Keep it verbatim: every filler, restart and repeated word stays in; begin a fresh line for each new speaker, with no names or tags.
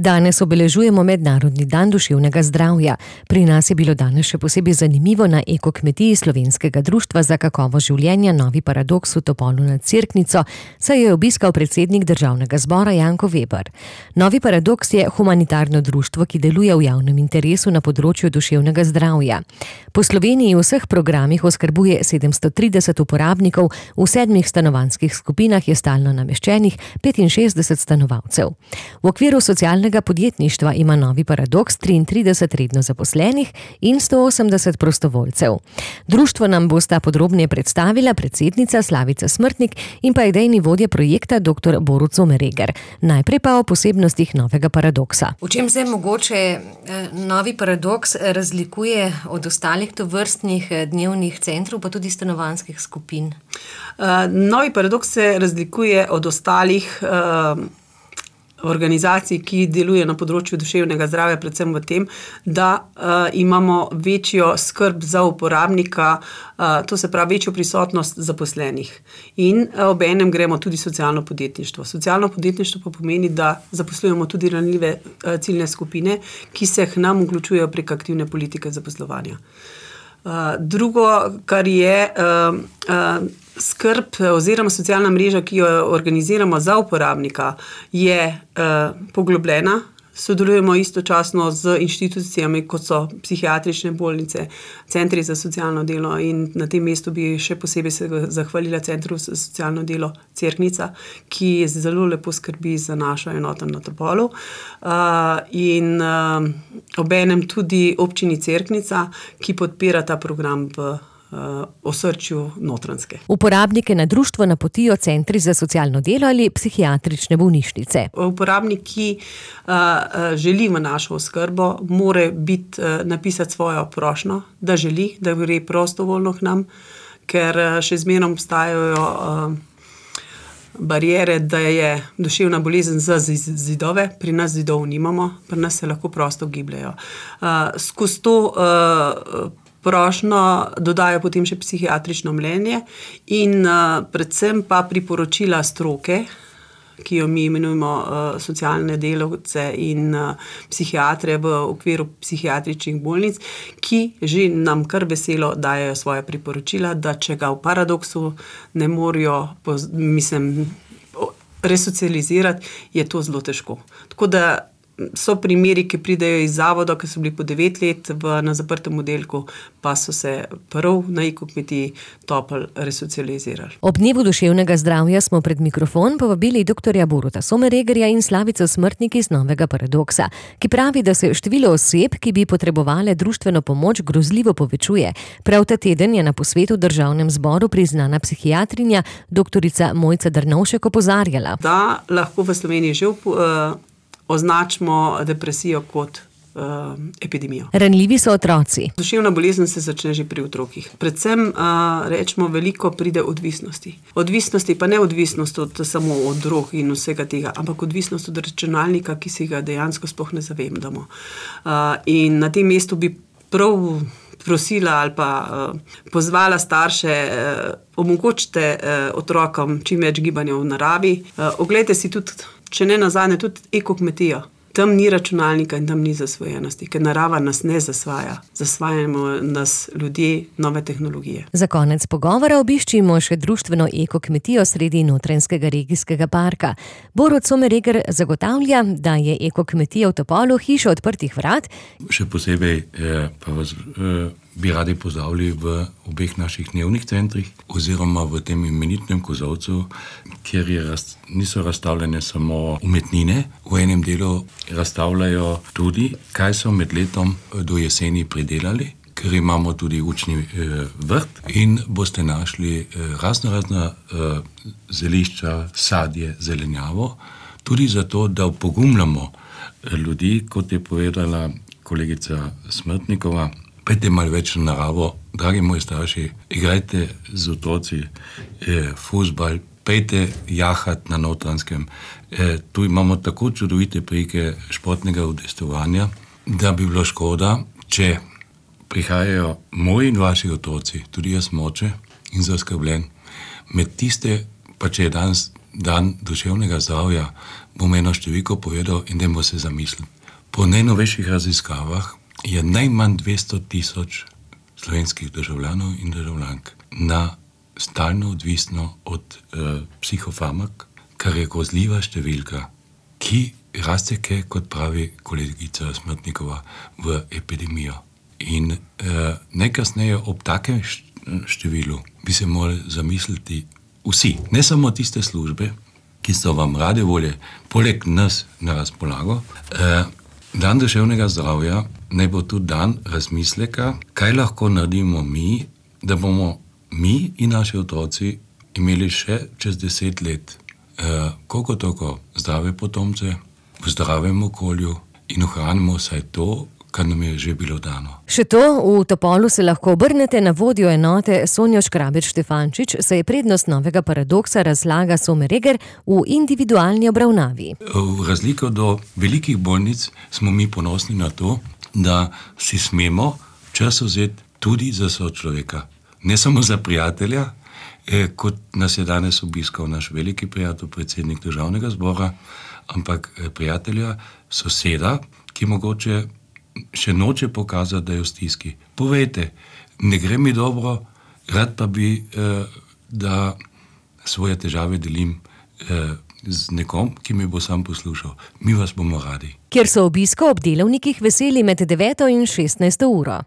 Danes obeležujemo Mednarodni dan duševnega zdravja. Pri nas je bilo danes še posebej zanimivo na ekokmetiji Slovenskega društva za kakovost življenja Novi paradoks v Topolu nad Cerknico, saj je obiskal predsednik Državnega zbora Janko Veber. Novi paradoks je humanitarno društvo, ki deluje v javnem interesu na področju duševnega zdravja. Po Sloveniji v vseh programih oskrbuje sedemsto trideset uporabnikov, v sedmih stanovanjskih skupinah je stalno nameščenih petinšestdeset stanovalcev. V okviru socialnega podjetništva ima Novi paradoks triintrideset redno zaposlenih in sto osemdeset prostovoljcev. Društvo nam bosta podrobneje predstavila predsednica Slavica Smrtnik in pa idejni vodja projekta dr. Borut Sommeregger. Najprej pa o posebnostih Novega paradoksa.
V čem se mogoče Novi paradoks razlikuje od ostalih tovrstnih dnevnih centrov, pa tudi stanovanjskih skupin?
Novi paradoks se razlikuje od ostalih organizacij, ki delujejo na področju duševnega zdravja, predvsem v tem, da uh, imamo večjo skrb za uporabnika, uh, to se pravi večjo prisotnost zaposlenih. In uh, ob enem gremo tudi socialno podjetništvo. Socialno podjetništvo pa pomeni, da zaposlujemo tudi ranljive uh, ciljne skupine, ki se k nam vključujejo prek aktivne politike zaposlovanja. Uh, drugo, kar je uh, uh, skrb oziroma socialna mreža, ki jo organiziramo za uporabnika, je uh, poglobljena. Sodelujemo istočasno z inštitucijami, kot so psihiatrične bolnice, centri za socialno delo, in na tem mestu bi še posebej se zahvalila Centru za socialno delo Cerknica, ki zelo lepo skrbi za našo enoto na Topolu. Uh, in uh, obenem tudi občini Cerknica, ki podpira ta program v osrčju Notranjske.
Uporabnike na društvo napotijo centri za socialno delo ali psihiatrične bolnišnice.
Uporabnik, ki uh, želi v našo oskrbo, mora biti, uh, napisati svojo prošnjo, da želi, da gre prostovoljno k nam, ker uh, še zmeraj obstajajo uh, bariere, da je duševna bolezen za zidove, pri nas zidov nimamo, pri nas se lahko prosto gibljajo. Uh, skozi to uh, prošnjo dodajo potem še psihiatrično mnenje in uh, predvsem pa priporočila stroke, ki jo mi imenujemo uh, socialne delavce in uh, psihiatre v okviru psihiatričnih bolnic, ki že nam kar veselo dajo svoje priporočila, da če ga v paradoksu ne morajo, mislim, resocializirati, je to zelo težko. Tako da so primeri, ki pridejo iz zavoda, ki so bili po devet let v, na zaprtem oddelku, pa so se prav na ekokmetiji Topol resocializirali.
Ob dnevu duševnega zdravja smo pred mikrofon povabili doktorja Boruta Sommereggerja in Slavico Smrtnik iz Novega paradoksa, ki pravi, da se število oseb, ki bi potrebovale društveno pomoč, grozljivo povečuje. Prav ta teden je na posvetu v Državnem zboru priznana psihiatrinja doktorica Mojca Drnovšek opozarjala,
da lahko v Sloveniji že uh, označimo depresijo kot uh, epidemijo.
Ranljivi so otroci.
Duševna bolezen se začne že pri otrokih. Predvsem, uh, rečemo, veliko pride odvisnosti. Odvisnosti pa ne odvisnost od, samo od drog in vsega tega, ampak odvisnost od računalnika, ki si ga dejansko sploh ne zavedamo. Uh, in na tem mestu bi prav prosila ali pa uh, pozvala starše, uh, omogočite uh, otrokom čim več gibanja v naravi. Uh, oglejte si tudi, če ne nazadnje, tudi ekokmetijo. Tam ni računalnika in tam ni zasvojenosti, ker narava nas ne zasvaja. Zasvajamo nas ljudje, nove tehnologije.
Za konec pogovora obiščimo še društveno ekokmetijo sredi Notranjskega regijskega parka. Borut Sommeregger zagotavlja, da je ekokmetija v Topolu hiša odprtih vrat.
Še posebej eh, pa vas eh, bi radi pozdravili v obeh naših dnevnih centrih oziroma v tem imenitnem kozovcu, kjer je raz, niso razstavljene samo umetnine, v enem delu razstavljajo tudi, kaj so med letom do jeseni pridelali, ker imamo tudi učni eh, vrt in boste našli eh, razno razna eh, zelišča, sadje, zelenjavo, tudi zato, da upogumljamo ljudi, kot je povedala kolegica Smrtnikova. Pejte malo več na naravo, dragi moji starši, igrajte z otroci eh, fuzbal, pejte jahat na Notranjskem. Eh, tu imamo tako čudovite prike športnega udejstvovanja, da bi bilo škoda, če prihajajo moji in vaši otroci, tudi jaz moče in zaskrbljen, med tiste, pa če je danes dan duševnega zdravja, bom eno številko povedal in dajmo se zamisliti. Po najnovejših raziskavah je najmanj dvesto tisoč slovenskih državljanov in državljank na stalno odvisno od uh, psihofarmak, kar je grozljiva številka, ki raste, kot pravi kolegica Smrtnikova, v epidemijo. In uh, najkasneje ob takem številu bi se morali zamisliti vsi, ne samo tiste službe, ki so vam rade volje, poleg nas na razpolago. Uh, dan duševnega zdravja naj bo tudi dan razmisleka, kaj lahko naredimo mi, da bomo mi in naši otroci imeli še čez deset let eh, koliko toliko zdrave potomce v zdravem okolju in ohranimo vsaj to, kar nam je že bilo dano.
Še to, v Topolu se lahko obrnete na vodjo enote Sonjo Škrabeč Štefančič, saj je prednost novega paradoksa razlaga Somer-Eger v individualni obravnavi.
V razliko do velikih bolnic smo mi ponosni na to, da si smemo čas vzeti tudi za sočloveka. Ne samo za prijatelja, eh, kot nas je danes obiskal naš veliki prijatelj, predsednik Državnega zbora, ampak eh, prijatelja, soseda, ki mogoče še noče pokazati, da je v stiski. Povejte, ne gre mi dobro, rad pa bi, eh, da svoje težave delim eh, z nekom, ki me bo sam poslušal. Mi vas bomo radi.
Kjer so obisko ob delovnikih veseli med deveto in šestnajsto uro.